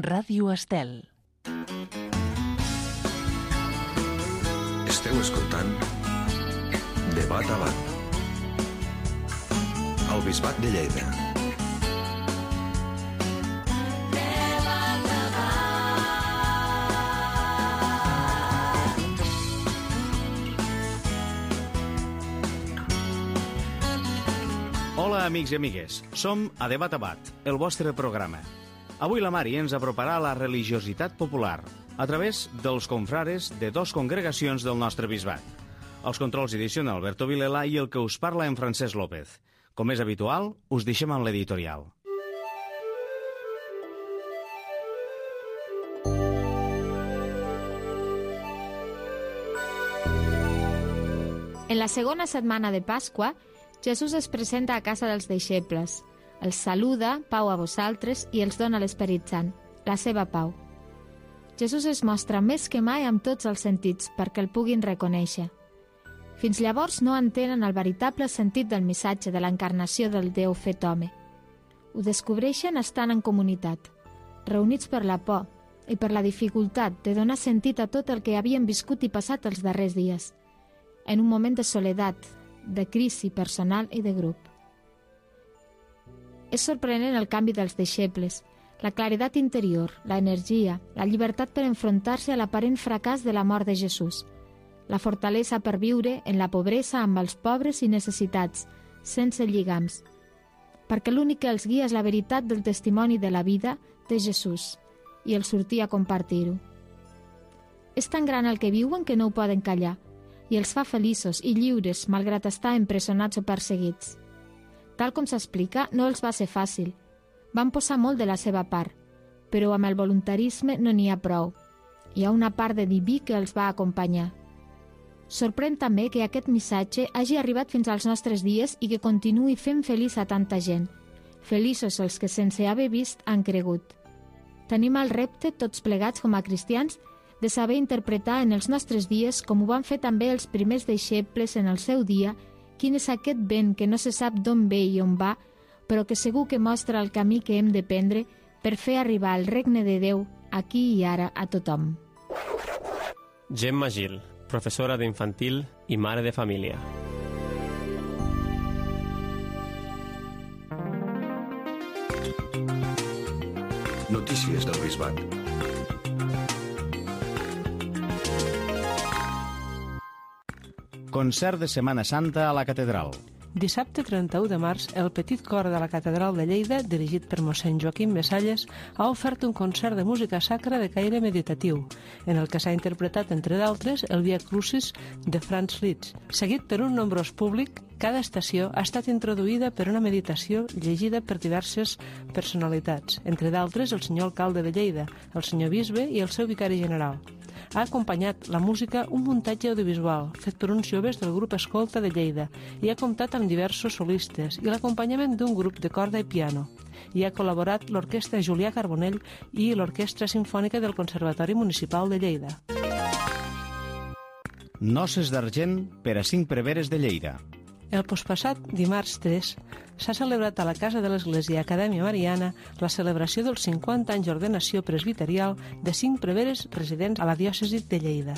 Ràdio Estel. Esteu escoltant Debat a Bat al Bisbat de Lleida. Hola, amics i amigues. Som a Debat a Bat, el vostre programa. Avui la Mari ens aproparà a la religiositat popular a través dels confrares de dos congregacions del nostre bisbat. Els controls ediciona Alberto Vilela i el que us parla en Francesc López. Com és habitual, us deixem amb l'editorial. En la segona setmana de Pasqua, Jesús es presenta a casa dels deixebles, els saluda, pau a vosaltres, i els dona l'Esperit Sant, la seva pau. Jesús es mostra més que mai amb tots els sentits perquè el puguin reconèixer. Fins llavors no entenen el veritable sentit del missatge de l'encarnació del Déu fet home. Ho descobreixen estant en comunitat, reunits per la por i per la dificultat de donar sentit a tot el que havien viscut i passat els darrers dies, en un moment de soledat, de crisi personal i de grup. És sorprenent el canvi dels deixebles, la claredat interior, la energia, la llibertat per enfrontar-se a l'aparent fracàs de la mort de Jesús, la fortalesa per viure en la pobresa amb els pobres i necessitats, sense lligams, perquè l'únic que els guia és la veritat del testimoni de la vida de Jesús i el sortir a compartir-ho. És tan gran el que viuen que no ho poden callar i els fa feliços i lliures malgrat estar empresonats o perseguits. Tal com s'explica, no els va ser fàcil. Van posar molt de la seva part, però amb el voluntarisme no n'hi ha prou. Hi ha una part de diví que els va acompanyar. Sorprèn també que aquest missatge hagi arribat fins als nostres dies i que continuï fent feliç a tanta gent. Feliços els que sense haver vist han cregut. Tenim el repte, tots plegats com a cristians, de saber interpretar en els nostres dies, com ho van fer també els primers deixebles en el seu dia, quin és aquest vent que no se sap d'on ve i on va, però que segur que mostra el camí que hem de prendre per fer arribar el regne de Déu aquí i ara a tothom. Gemma Gil, professora d'infantil i mare de família. Notícies del Bisbat. Concert de Setmana Santa a la Catedral. Dissabte 31 de març, el Petit Cor de la Catedral de Lleida, dirigit per mossèn Joaquim Mesalles, ha ofert un concert de música sacra de caire meditatiu, en el que s'ha interpretat, entre d'altres, el Via Crucis de Franz Liszt. Seguit per un nombrós públic, cada estació ha estat introduïda per una meditació llegida per diverses personalitats, entre d'altres el senyor alcalde de Lleida, el senyor bisbe i el seu vicari general. Ha acompanyat la música un muntatge audiovisual fet per uns joves del grup Escolta de Lleida i ha comptat amb diversos solistes i l'acompanyament d'un grup de corda i piano. Hi ha col·laborat l'Orquestra Julià Carbonell i l'Orquestra Simfònica del Conservatori Municipal de Lleida. Noces d'argent per a 5 preveres de Lleida. El postpassat dimarts 3 s'ha celebrat a la Casa de l'Església Acadèmia Mariana la celebració dels 50 anys d'ordenació presbiterial de 5 preveres residents a la diòcesi de Lleida.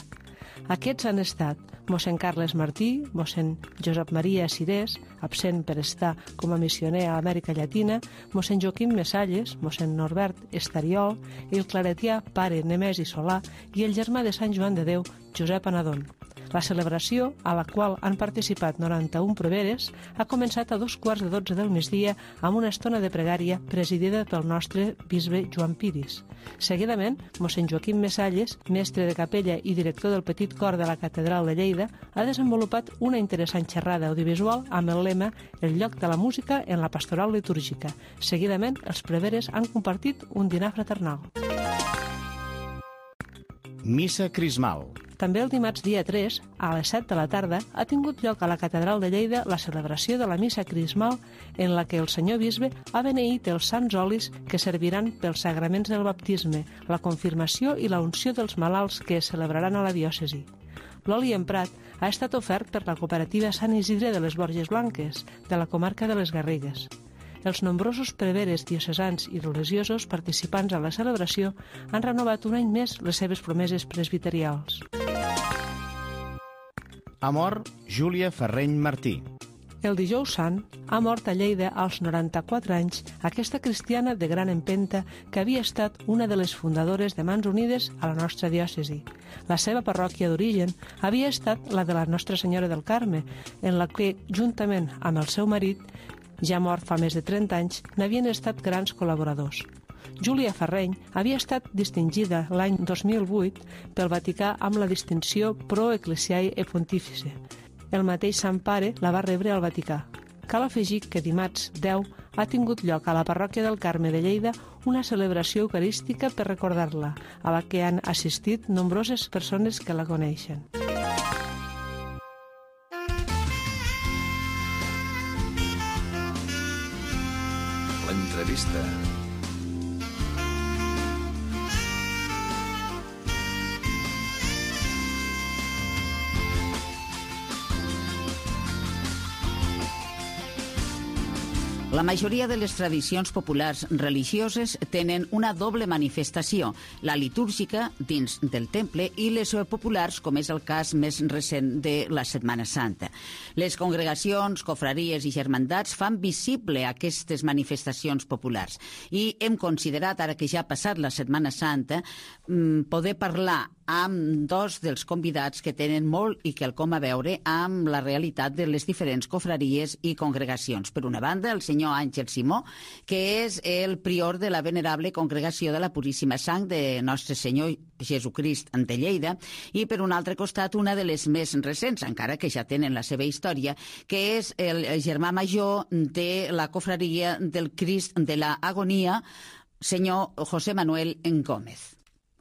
Aquests han estat mossèn Carles Martí, mossèn Josep Maria Cirés, absent per estar com a missioner a Amèrica Llatina, mossèn Joaquim Mesalles, mossèn Norbert Estariol, el claretià pare Nemesi Solà i el germà de Sant Joan de Déu, Josep Anadon. La celebració, a la qual han participat 91 preveres, ha començat a 2:15 del migdia amb una estona de pregària presidida pel nostre bisbe Joan Piris. Seguidament, mossèn Joaquim Mesalles, mestre de capella i director del Petit Cor de la Catedral de Lleida, ha desenvolupat una interessant xerrada audiovisual amb el lema El lloc de la música en la pastoral litúrgica. Seguidament, els preveres han compartit un dinar fraternal. Missa Crismal. També el dimarts dia 3, a les 7 de la tarda, ha tingut lloc a la Catedral de Lleida la celebració de la Missa Crismal en la que el senyor bisbe ha beneït els sants olis que serviran pels sagraments del baptisme, la confirmació i la unció dels malalts que es celebraran a la diòcesi. L'oli emprat ha estat ofert per la cooperativa Sant Isidre de les Borges Blanques, de la comarca de les Garrigues. Els nombrosos preveres diocesans i religiosos participants a la celebració han renovat un any més les seves promeses presbiterials. Ha mort Júlia Ferreny Martí. El dijous sant ha mort a Lleida als 94 anys aquesta cristiana de gran empenta que havia estat una de les fundadores de Mans Unides a la nostra diòcesi. La seva parròquia d'origen havia estat la de la Nostra Senyora del Carme, en la que, juntament amb el seu marit, ja mort fa més de 30 anys, n'havien estat grans col·laboradors. Júlia Ferreny havia estat distingida l'any 2008 pel Vaticà amb la distinció Pro Ecclesiae e Pontifice. El mateix Sant Pare la va rebre al Vaticà. Cal afegir que dimarts 10 ha tingut lloc a la parròquia del Carme de Lleida una celebració eucarística per recordar-la, a la que han assistit nombroses persones que la coneixen. L'entrevista. La majoria de les tradicions populars religioses tenen una doble manifestació, la litúrgica dins del temple i les populars, com és el cas més recent de la Setmana Santa. Les congregacions, confraries i germandats fan visible aquestes manifestacions populars i hem considerat, ara que ja ha passat la Setmana Santa, poder parlar amb dos dels convidats que tenen molt i quelcom a veure amb la realitat de les diferents confraries i congregacions. Per una banda, el senyor Àngel Simó, que és el prior de la venerable Congregació de la Puríssima Sang de Nostre Senyor Jesucrist de Lleida, i per un altre costat una de les més recents, encara que ja tenen la seva història, que és el germà major de la confraria del Crist de la Agonia, senyor José Manuel Gómez.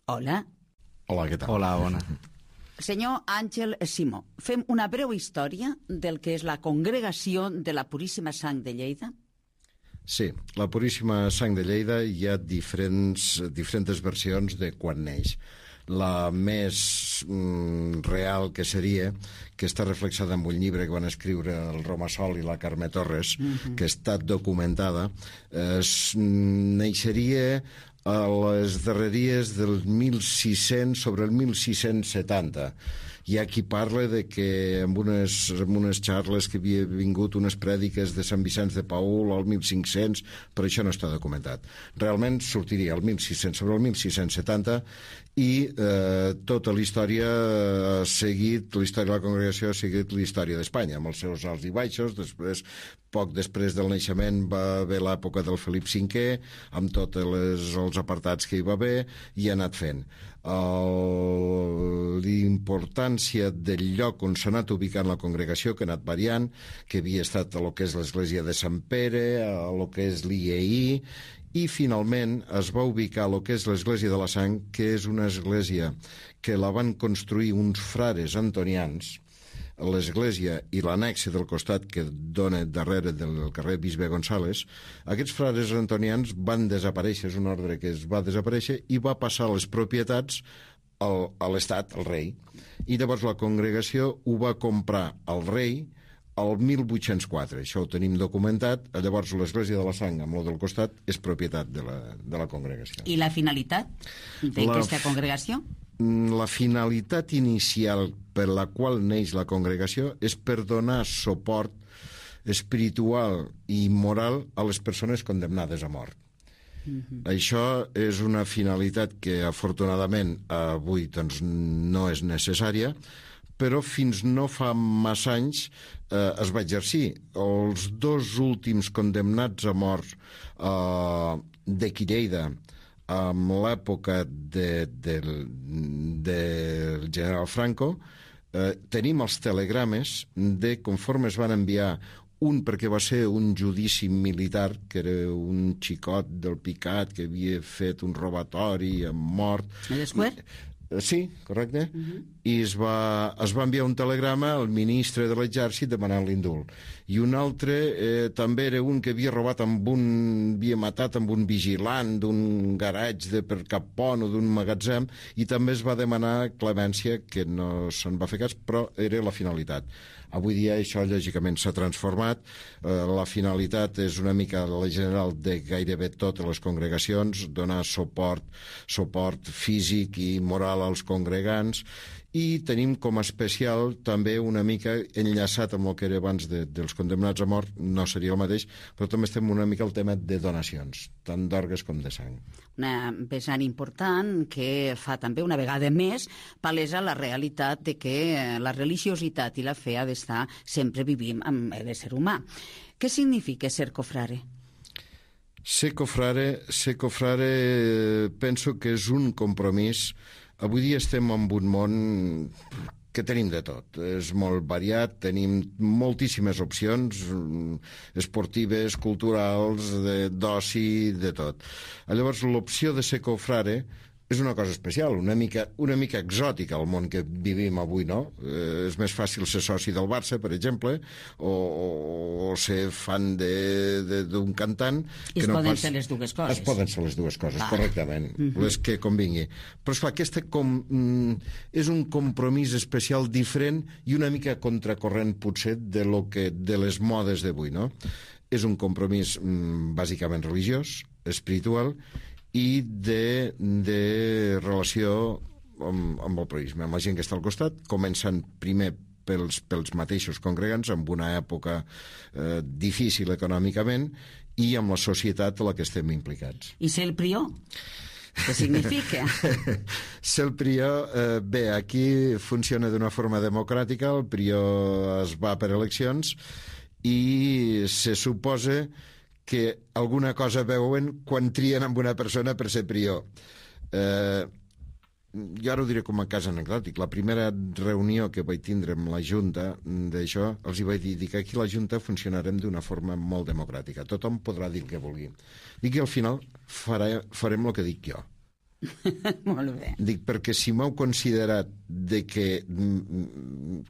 Hola. Hola, què tal? Hola, bona. Senyor Àngel Simó, fem una breu història del que és la Congregació de la Puríssima Sang de Lleida? Sí, la Puríssima Sang de Lleida hi ha diferents versions de quan neix. La més real que seria, que està reflexada en un llibre que van escriure el Romassol i la Carme Torres, que està documentada, neixeria a les darreries del 1600, sobre el 1670. Hi ha qui parla de que en unes xarles que havia vingut unes prèdiques de Sant Vicenç de Paül al 1500, però això no està documentat. Realment sortiria el 1600, sobre el 1670, i tota la història ha seguit, la història de la congregació ha seguit la història d'Espanya, amb els seus alts i baixos. Poc després del naixement va haver l'època del Felip V, amb tots els apartats que hi va haver, i ha anat fent. L'importància del lloc on s'ha anat ubicant la congregació, que ha anat variant, que havia estat a lo que és l'església de Sant Pere, a lo que és l'IEI, i finalment es va ubicar a lo que és l'església de la Sang, que és una església que la van construir uns frares antonians, l'església i l'annexe del costat que dona darrere del carrer Bisbe González. Aquests frares antonians van desaparèixer, és un ordre que es va desaparèixer i va passar les propietats a l'Estat, al rei. I llavors la congregació ho va comprar al rei el 1804, això ho tenim documentat. Llavors l'església de la Sang, amb lo del costat, és propietat de la congregació. I la finalitat d'aquesta congregació? La finalitat inicial per la qual neix la congregació és per donar suport espiritual i moral a les persones condemnades a mort. Això és una finalitat que afortunadament avui doncs, no és necessària, però fins no fa massa anys es va exercir. Els dos últims condemnats a mort d'aquí Lleida, amb l'època del general Franco, tenim els telegrames de conforme es van enviar, un perquè va ser un judici militar, que era un xicot del Picat que havia fet un robatori amb mort. L'esquer? Sí, correcte. I es va enviar un telegrama al ministre de l'exèrcit demanant l'indult. I un altre també era un que havia robat havia matat amb un vigilant d'un garatge per cap pont o d'un magatzem, i també es va demanar clemència, que no se'n va fer cas, però era la finalitat. Avui dia això lògicament s'ha transformat. La finalitat és una mica la general de gairebé totes les congregacions, donar suport físic i moral als congregants, i tenim com a especial també una mica enllaçat amb el que era abans dels condemnats a mort, no seria el mateix, però també estem una mica al tema de donacions, tant d'orgues com de sang. Una vessant important que fa també una vegada més palesa la realitat de que la religiositat i la fe ha d'estar sempre vivint amb l'ésser humà. Què significa ser cofrare? Ser cofrare penso que és un compromís. Avui dia estem en un món que tenim de tot. És molt variat, tenim moltíssimes opcions esportives, culturals, d'oci, de tot. Llavors, l'opció de ser cofrare és una cosa especial, una mica exòtica al món que vivim avui, no? És més fàcil ser soci del Barça, per exemple, o ser fan d'un cantant. I es poden ser les dues coses. Es poden ser les dues coses, correctament, les que convingui. Però, esclar, aquesta és un compromís especial diferent i una mica contracorrent, potser, de les modes d'avui, no? És un compromís bàsicament religiós, espiritual, i de relació amb el proisme, amb la gent que està al costat, començant primer pels mateixos congregants, en una època difícil econòmicament, i amb la societat a la que estem implicats. I ser el prior? Què significa? Ser el prior, bé, aquí funciona d'una forma democràtica, el prior es va per eleccions, i se suposa que alguna cosa veuen quan trien amb una persona per ser prior. Jo ara ho diré com a cas anecdòtic. La primera reunió que vaig tindre amb la Junta d'això, els hi vaig dir que aquí la Junta funcionarem d'una forma molt democràtica. Tothom podrà dir el que vulgui. Dic que al final farem el que dic jo. Molt bé. Dic, perquè si m'heu considerat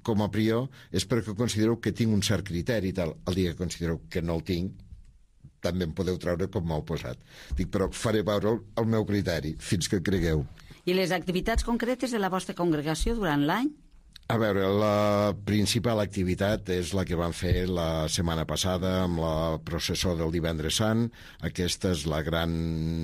com a prior és perquè considereu que tinc un cert criteri i tal. El dia que considereu que no el tinc, també em podeu treure com m'heu posat. Dic, però faré veure el meu criteri fins que cregueu. I les activitats concretes de la vostra congregació durant l'any? A veure, la principal activitat és la que vam fer la setmana passada amb la processó del Divendres Sant. Aquesta és la gran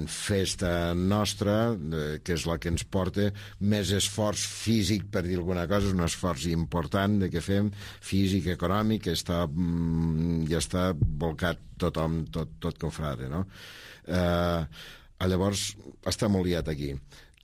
festa nostra, que és la que ens porta més esforç físic, per dir alguna cosa, és un esforç important que fem, físic, econòmic, que ja està volcat tothom, tot cofrade, no? Llavors, està molt liat aquí.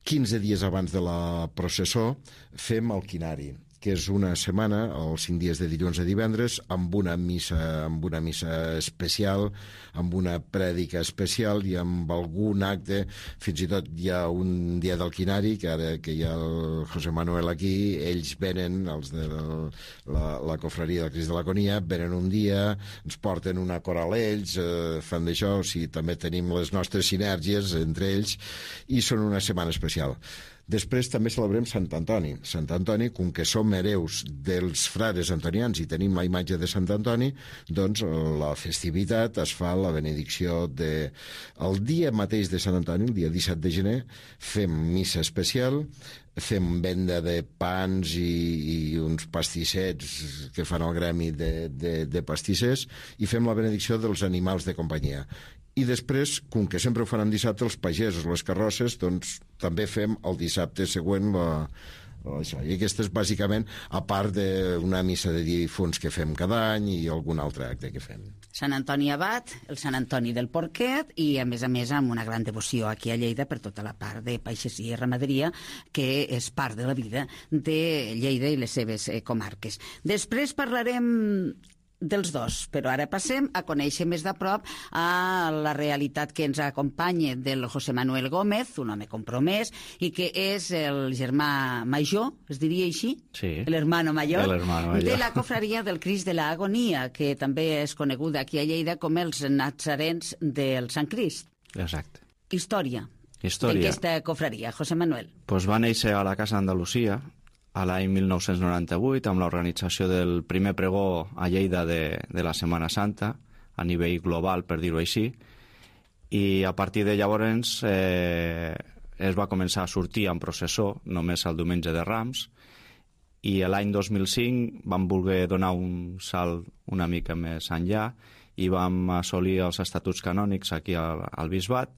15 dies abans de la processó fem el quinari, que és una setmana, els 5 dies de dilluns a divendres, amb una missa especial, amb una prèdica especial i amb algun acte. Fins i tot hi ha un dia del quinari, que ara que hi ha el José Manuel aquí, ells venen, els de la cofreria del Crist de l'Agonia, venen un dia, ens porten una coral ells, fan d'això, o sigui, també tenim les nostres sinèrgies entre ells, i són una setmana especial. Després també celebrem Sant Antoni. Sant Antoni, com que som hereus dels frares antonians i tenim la imatge de Sant Antoni, doncs la festivitat es fa la benedicció el dia mateix de Sant Antoni, el dia 17 de gener, fem missa especial, fem venda de pans i uns pastissets que fan el gremi de pastissers, i fem la benedicció dels animals de companyia. I després, com que sempre ho fan en dissabte, els pagesos, les carrosses, doncs també fem el dissabte següent això. I aquesta és bàsicament, a part d'una missa de difunts que fem cada any i algun altre acte que fem. Sant Antoni Abat, el Sant Antoni del Porquet, i a més amb una gran devoció aquí a Lleida per tota la part de pagesia i ramaderia, que és part de la vida de Lleida i les seves comarques. Després parlarem dels dos, però ara passem a conèixer més de prop a la realitat que ens acompanya del José Manuel Gómez, un home compromès, i que és el germà major, es diria així? Sí. L'hermano mayor, de la cofraria del Crist de l'Agonia, que també és coneguda aquí a Lleida com els natzarens del Sant Crist. Exacte. Història. Història. d'aquesta cofraria, José Manuel? Pues va néixer a la Casa Andalusia a l'any 1998 amb l'organització del primer pregó a Lleida de la Setmana Santa, a nivell global, per dir-ho així, i a partir de llavors es va començar a sortir en processó només el diumenge de Rams, i l'any 2005 vam voler donar un salt una mica més enllà i vam assolir els estatuts canònics aquí al Bisbat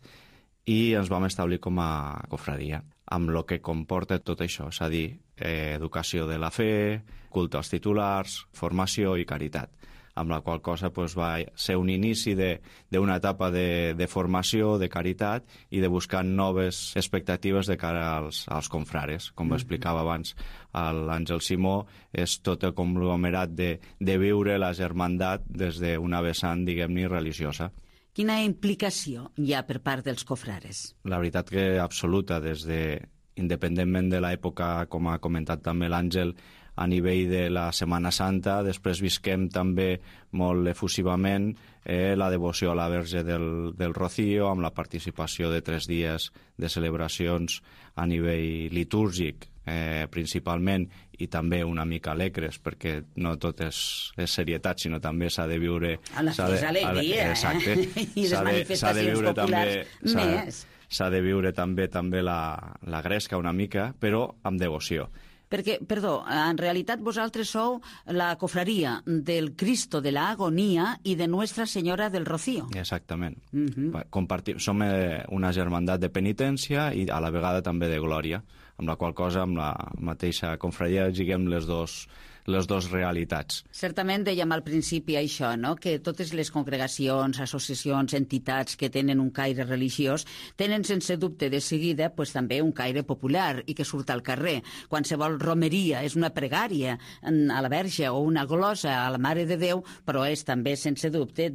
i ens vam establir com a cofradia, amb el que comporta tot això, és a dir, educació de la fe, culte als titulars, formació i caritat, amb la qual cosa va ser un inici d'una etapa de formació, de caritat i de buscar noves expectatives de cara als confrares. Com explicava abans l'Àngel Simó, és tot el conglomerat de viure la germandat des d'una vessant, diguem-ne, religiosa. Quina implicació hi ha per part dels cofrares? La veritat que absoluta, independentment de l'època, com ha comentat també l'Àngel, a nivell de la Setmana Santa, després visquem també molt efusivament la devoció a la Verge del Rocío, amb la participació de 3 dies de celebracions a nivell litúrgic, principalment, i també una mica alegres, perquè no tot és serietat, sinó també s'ha de viure... A la fi és alegria, exacte. I les manifestacions populars més. S'ha de viure també la gresca una mica, però amb devoció. Perquè, perdó, en realitat vosaltres sou la cofraria del Cristo de la Agonia i de Nuestra Senyora del Rocío. Exactament. Som una germandat de penitència i a la vegada també de glòria, amb la qual cosa, amb la mateixa confraria, lliguem les dos realitats. Certament dèiem al principi això, no? Que totes les congregacions, associacions, entitats que tenen un caire religiós tenen sense dubte de seguida també un caire popular i que surt al carrer. Qualsevol romeria és una pregària a la Verge o una glosa a la Mare de Déu, però és també sense dubte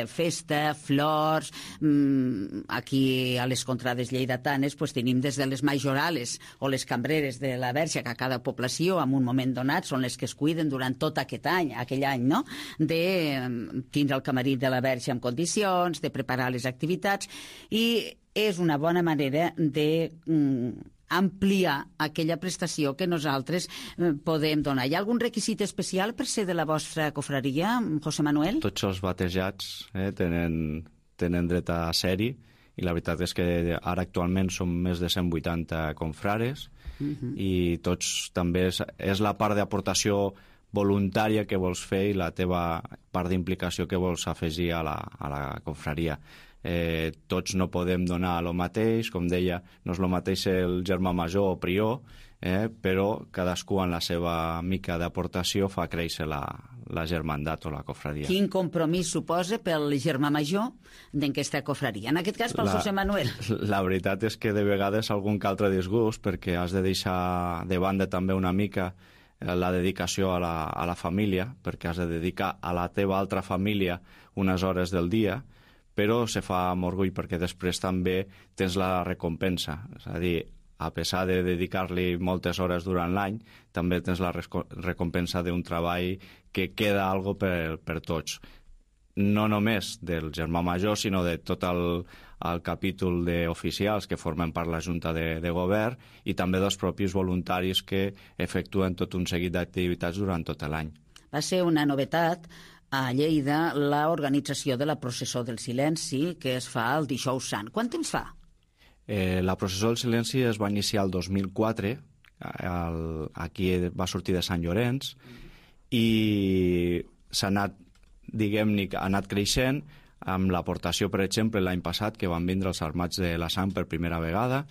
festa, flors. Aquí a les contrades lleidatanes tenim des de les majorales o les cambreres de la Verge, que a cada població en un moment donat són les que es cuiden durant tot aquell any, no? De tindre el camarí de la Verge en condicions, de preparar les activitats, i és una bona manera de ampliar aquella prestació que nosaltres podem donar. Hi ha algun requisit especial per ser de la vostra cofraria, José Manuel? Tots els batejats tenen dret a ser-hi, i la veritat és que ara actualment som més de 180 confrares, i tots també és la part d'aportació voluntària que vols fer i la teva part d'implicació que vols afegir a la confraria. Tots no podem donar el mateix, com deia, no és el mateix el germà major o prior, però cadascú en la seva mica d'aportació fa créixer la germandat o la cofradia. Quin compromís suposa pel germà major d'aquesta cofradia? En aquest cas, pel José Manuel. La veritat és que de vegades algun que altre disgust, perquè has de deixar de banda també una mica la dedicació a la família, perquè has de dedicar a la teva altra família unes hores del dia, però se fa amb orgull perquè després també tens la recompensa. És a dir, a pesar de dedicar-li moltes hores durant l'any, també tens la recompensa d'un treball que queda algo per tots. No només del germà major, sinó de tot el capítol d'oficials que formen part de la Junta de Govern i també dels propis voluntaris que efectuen tot un seguit d'activitats durant tot l'any. Va ser una novetat a Lleida l'organització de la Processó del Silenci, que es fa el Dijous Sant. Quant temps fa? La Processó del Silenci es va iniciar el 2004, aquí va sortir de Sant Llorenç, i s'ha anat, diguem-ne, ha anat creixent amb l'aportació, per exemple, l'any passat, que van vindre els Armats de la Sang per primera vegada,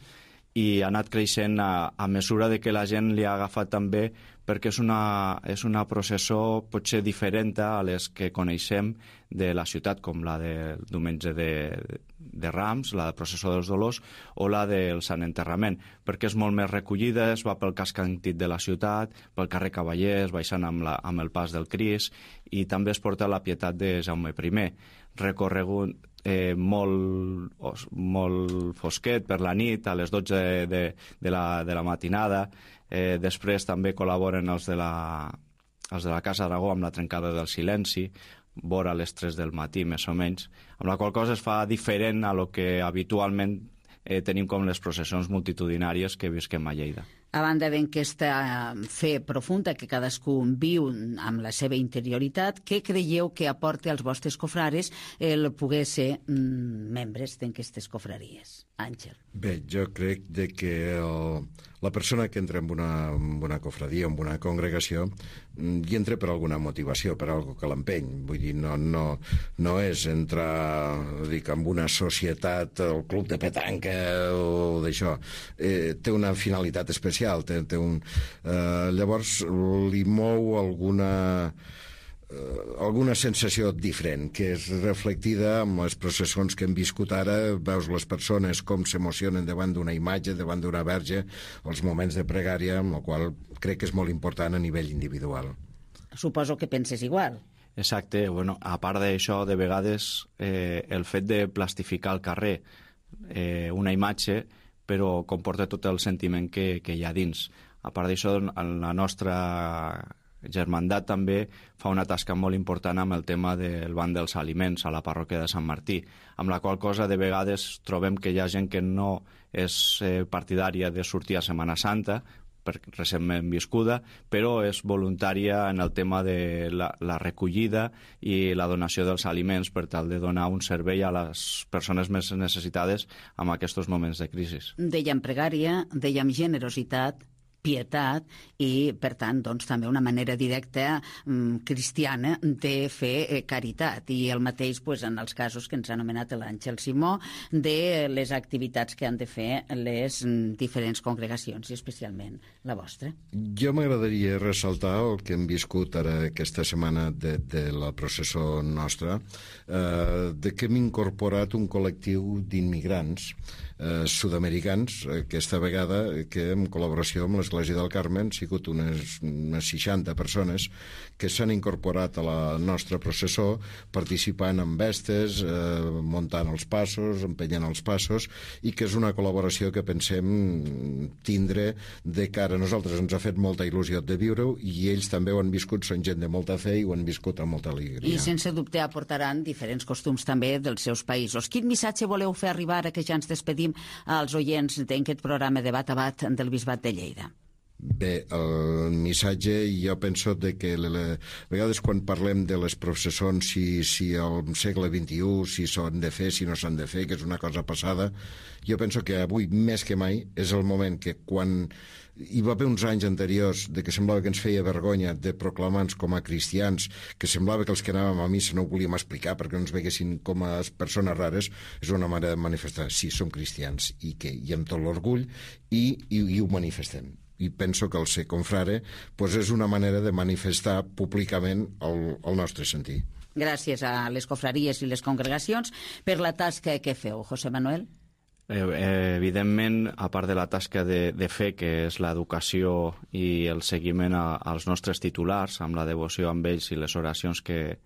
i ha anat creixent a mesura de que la gent li ha agafat també, perquè és una processó potser diferent a les que coneixem de la ciutat, com la del diumenge de Rams, la de Processó dels Dolors, o la del Sant Enterrament, perquè és molt més recollida, es va pel casc antic de la ciutat, pel carrer Cavallers, baixant amb el pas del Cris, i també es porta la Pietat de Jaume I, recorregut molt fosquet per la nit, a les 12 de la matinada. Després també col·laboren els de la Casa Aragó amb la trencada del silenci, vora les 3 del matí, més o menys, amb la qual cosa es fa diferent a lo que habitualment tenim com les processons multitudinàries que visquem a Lleida. A banda d'aquesta fe profunda que cadascú viu amb la seva interioritat, què creieu que aporta als vostres cofrares el poder ser membres d'aquestes cofraries? Àngel. Bé, jo crec que la persona que entra en una cofradia, en una congregació, hi entra per alguna motivació, per algo que l'empeny. Vull dir, no és entrar, en una societat, el club de petanca o d'això. Té una finalitat especial. Llavors, li mou alguna sensació diferent, que és reflectida amb les processons que hem viscut ara. Veus les persones com s'emocionen davant d'una imatge, davant d'una verge, els moments de pregària, amb el qual crec que és molt important a nivell individual. Suposo que penses igual. Exacte. Bueno, a part d'això, de vegades el fet de plastificar al carrer una imatge, però comporta tot el sentiment que hi ha dins. A part d'això, la nostra Germandat també fa una tasca molt important amb el tema del banc dels aliments a la parròquia de Sant Martí, amb la qual cosa de vegades trobem que hi ha gent que no és partidària de sortir a Setmana Santa, recentment viscuda, però és voluntària en el tema de la recollida i la donació dels aliments per tal de donar un servei a les persones més necessitades en aquests moments de crisi. Dèiem pregària, dèiem generositat, pietat i, per tant, doncs, també una manera directa cristiana de fer caritat. I el mateix en els casos que ens ha anomenat l'Àngel Simó, de les activitats que han de fer les diferents congregacions, i especialment la vostra. Jo m'agradaria ressaltar el que hem viscut ara aquesta setmana de la processó nostra, de que hem incorporat un col·lectiu d'immigrants sud-americans, aquesta vegada que en col·laboració amb l'Església del Carme han sigut unes 60 persones que s'han incorporat a la nostra processó, participant en vestes, muntant els passos, empenyent els passos, i que és una col·laboració que pensem tindre de cara a nosaltres. Ens ha fet molta il·lusió de viure-ho, i ells també ho han viscut, són gent de molta fe i ho han viscut amb molta alegria. I sense dubte aportaran diferents costums també dels seus països. Quin missatge voleu fer arribar ara que ja ens despedim als oients d'aquest programa Debat a Bat del Bisbat de Lleida? Bé, el missatge, jo penso que a vegades quan parlem de les processons, si al segle XXI, si s'han de fer, si no s'han de fer, que és una cosa passada, jo penso que avui, més que mai, és el moment que quan hi va haver uns anys anteriors de que semblava que ens feia vergonya de proclamar-nos com a cristians, que semblava que els que anàvem a missa no ho volíem explicar perquè no ens veguessin com a persones rares, és una manera de manifestar, sí, som cristians, i amb tot l'orgull, i ho manifestem. I penso que el ser confrare és una manera de manifestar públicament el nostre sentir. Gràcies a les cofraries i les congregacions per la tasca que feu. José Manuel? Evidentment, a part de la tasca de fe, que és l'educació i el seguiment als nostres titulars, amb la devoció amb ells i les oracions que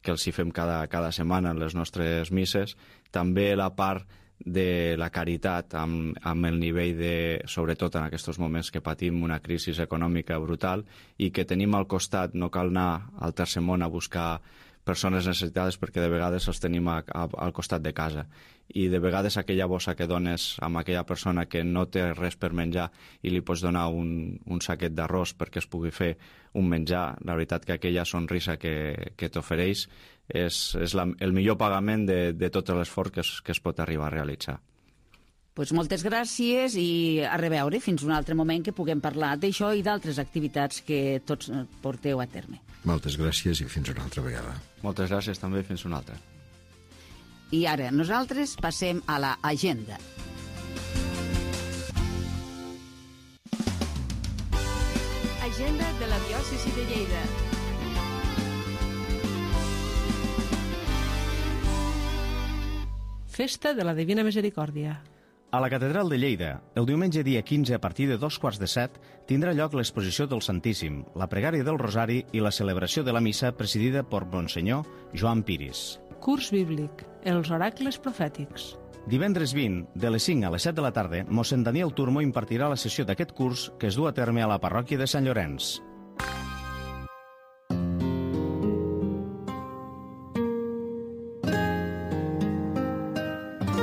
els hi fem cada setmana en les nostres misses, també la part de la caritat amb el nivell sobretot en aquests moments que patim una crisi econòmica brutal i que tenim al costat, no cal anar al tercer món a buscar persones necessitades perquè de vegades els tenim al costat de casa, i de vegades aquella bossa que dones amb aquella persona que no té res per menjar i li pots donar un saquet d'arròs perquè es pugui fer un menjar, la veritat que aquella sonrisa que t'ofereix és el millor pagament de tot l'esforç que es pot arribar a realitzar. Pues moltes gràcies i a reveure fins un altre moment que puguem parlar d'això i d'altres activitats que tots porteu a terme. Moltes gràcies i fins una altra vegada. Moltes gràcies també i fins una altra. I ara nosaltres passem a l'agenda. Agenda de la diòcesi de Lleida. Festa de la Divina Misericòrdia. A la Catedral de Lleida, el diumenge dia 15 a partir de 2:15 tindrà lloc l'exposició del Santíssim, la pregària del Rosari i la celebració de la missa presidida per Monsenyor Joan Piris. Curs bíblic, els oracles profètics. Divendres 20, de les 5 a les 7 de la tarda, mossèn Daniel Turmo impartirà la sessió d'aquest curs que es du a terme a la parròquia de Sant Llorenç.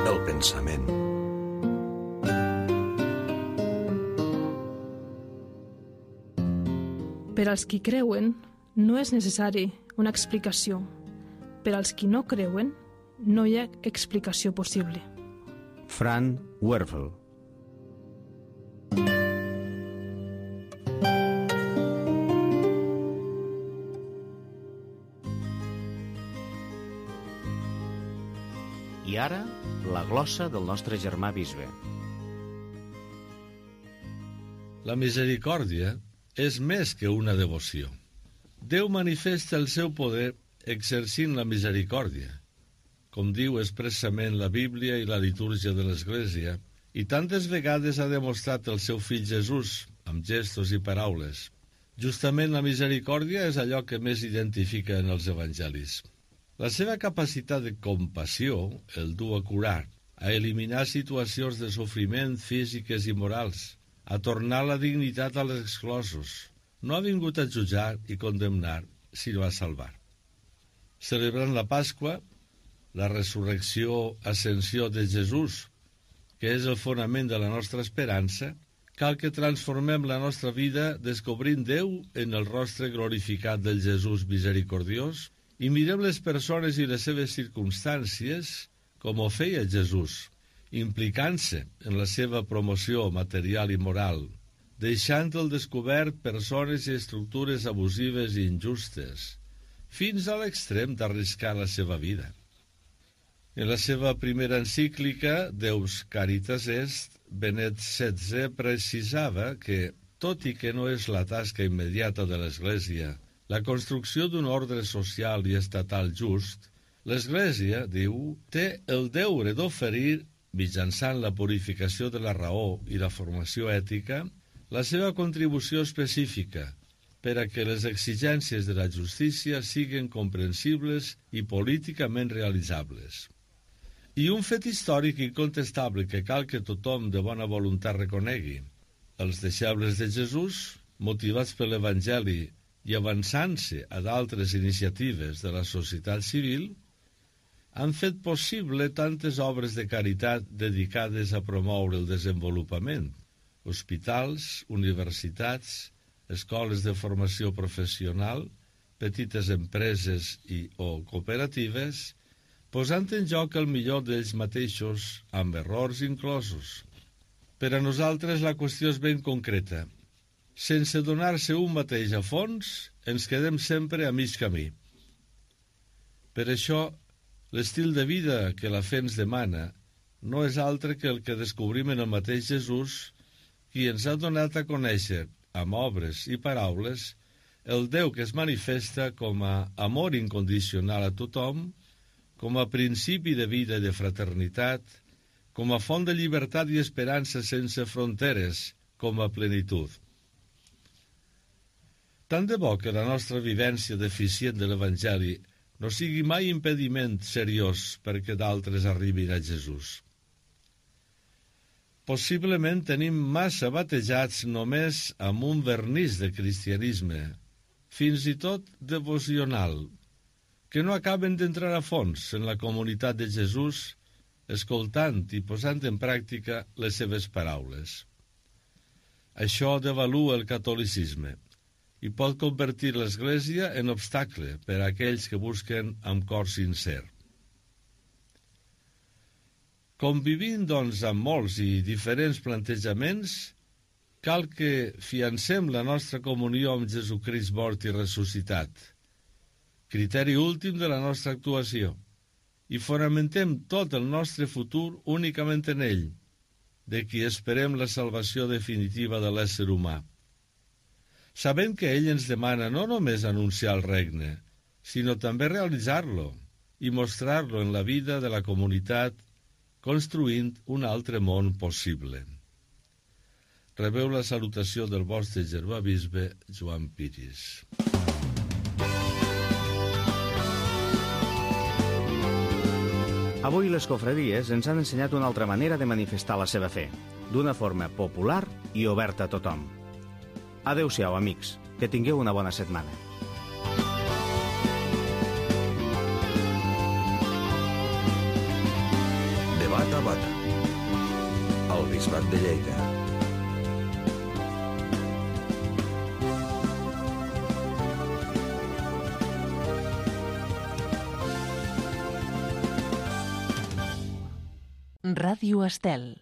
El pensament. Per als qui creuen, no és necessari una explicació. Per als qui no creuen, no hi ha explicació possible. Fran Werfel. I ara, la glossa del nostre germà bisbe. La misericòrdia és més que una devoció. Déu manifesta el seu poder exercint la misericòrdia, com diu expressament la Bíblia i la litúrgia de l'Església, i tantes vegades ha demostrat el seu fill Jesús, amb gestos i paraules. Justament la misericòrdia és allò que més identifica en els evangelis. La seva capacitat de compassió el du a curar, a eliminar situacions de sofriment físiques i morals, a tornar la dignitat als exclosos. No ha vingut a jutjar i condemnar, sinó a salvar. Celebrant la Pasqua, la resurrecció, ascensió de Jesús, que és el fonament de la nostra esperança, cal que transformem la nostra vida descobrint Déu en el rostre glorificat del Jesús misericordiós i mirem les persones i les seves circumstàncies com ho feia Jesús, implicant-se en la seva promoció material i moral, deixant al descobert persones i estructures abusives i injustes, fins a l'extrem d'arriscar la seva vida. En la seva primera encíclica, Deus Caritas Est, Benet XVI precisava que, tot i que no és la tasca immediata de l'Església la construcció d'un ordre social i estatal just, l'Església, diu, té el deure d'oferir, mitjançant la purificació de la raó i la formació ètica, la seva contribució específica per a que les exigències de la justícia siguin comprensibles i políticament realitzables. I un fet històric incontestable que cal que tothom de bona voluntat reconegui. Els deixebles de Jesús, motivats per l'Evangeli i avançant-se a d'altres iniciatives de la societat civil, han fet possible tantes obres de caritat dedicades a promoure el desenvolupament, hospitals, universitats, escoles de formació professional, petites empreses o cooperatives, posant en joc el millor d'ells mateixos, amb errors inclosos. Per a nosaltres la qüestió és ben concreta. Sense donar-se un mateix a fons, ens quedem sempre a mig camí. Per això, l'estil de vida que la fe ens demana no és altre que el que descobrim en el mateix Jesús, qui ens ha donat a conèixer, amb obres i paraules, el Déu que es manifesta com a amor incondicional a tothom, com a principi de vida i de fraternitat, com a font de llibertat i esperança sense fronteres, com a plenitud. Tant de bo que la nostra vivència deficient de l'Evangeli no sigui mai impediment seriós perquè d'altres arribin a Jesús. Possiblement tenim massa batejats només amb un vernís de cristianisme, fins i tot devocional, que no acaben d'entrar a fons en la comunitat de Jesús, escoltant i posant en pràctica les seves paraules. Això devalua el catolicisme i pot convertir l'Església en obstacle per a aquells que busquen amb cor sincer. Convivint, doncs, amb molts i diferents plantejaments, cal que fiancem la nostra comunió amb Jesucrist mort i ressuscitat, criteri últim de la nostra actuació, i fonamentem tot el nostre futur únicament en ell, de qui esperem la salvació definitiva de l'ésser humà. Sabent que ell ens demana no només anunciar el regne, sinó també realitzar-lo i mostrar-lo en la vida de la comunitat, construint un altre món possible. Rebeu la salutació del vostre germà bisbe Joan Piris. Avui les confraries ens han ensenyat una altra manera de manifestar la seva fe, d'una forma popular i oberta a tothom. Adéu-siau, amics, que tingueu una bona setmana. Debat a Bata, al Bisbat de Lleida. Ràdio Estel.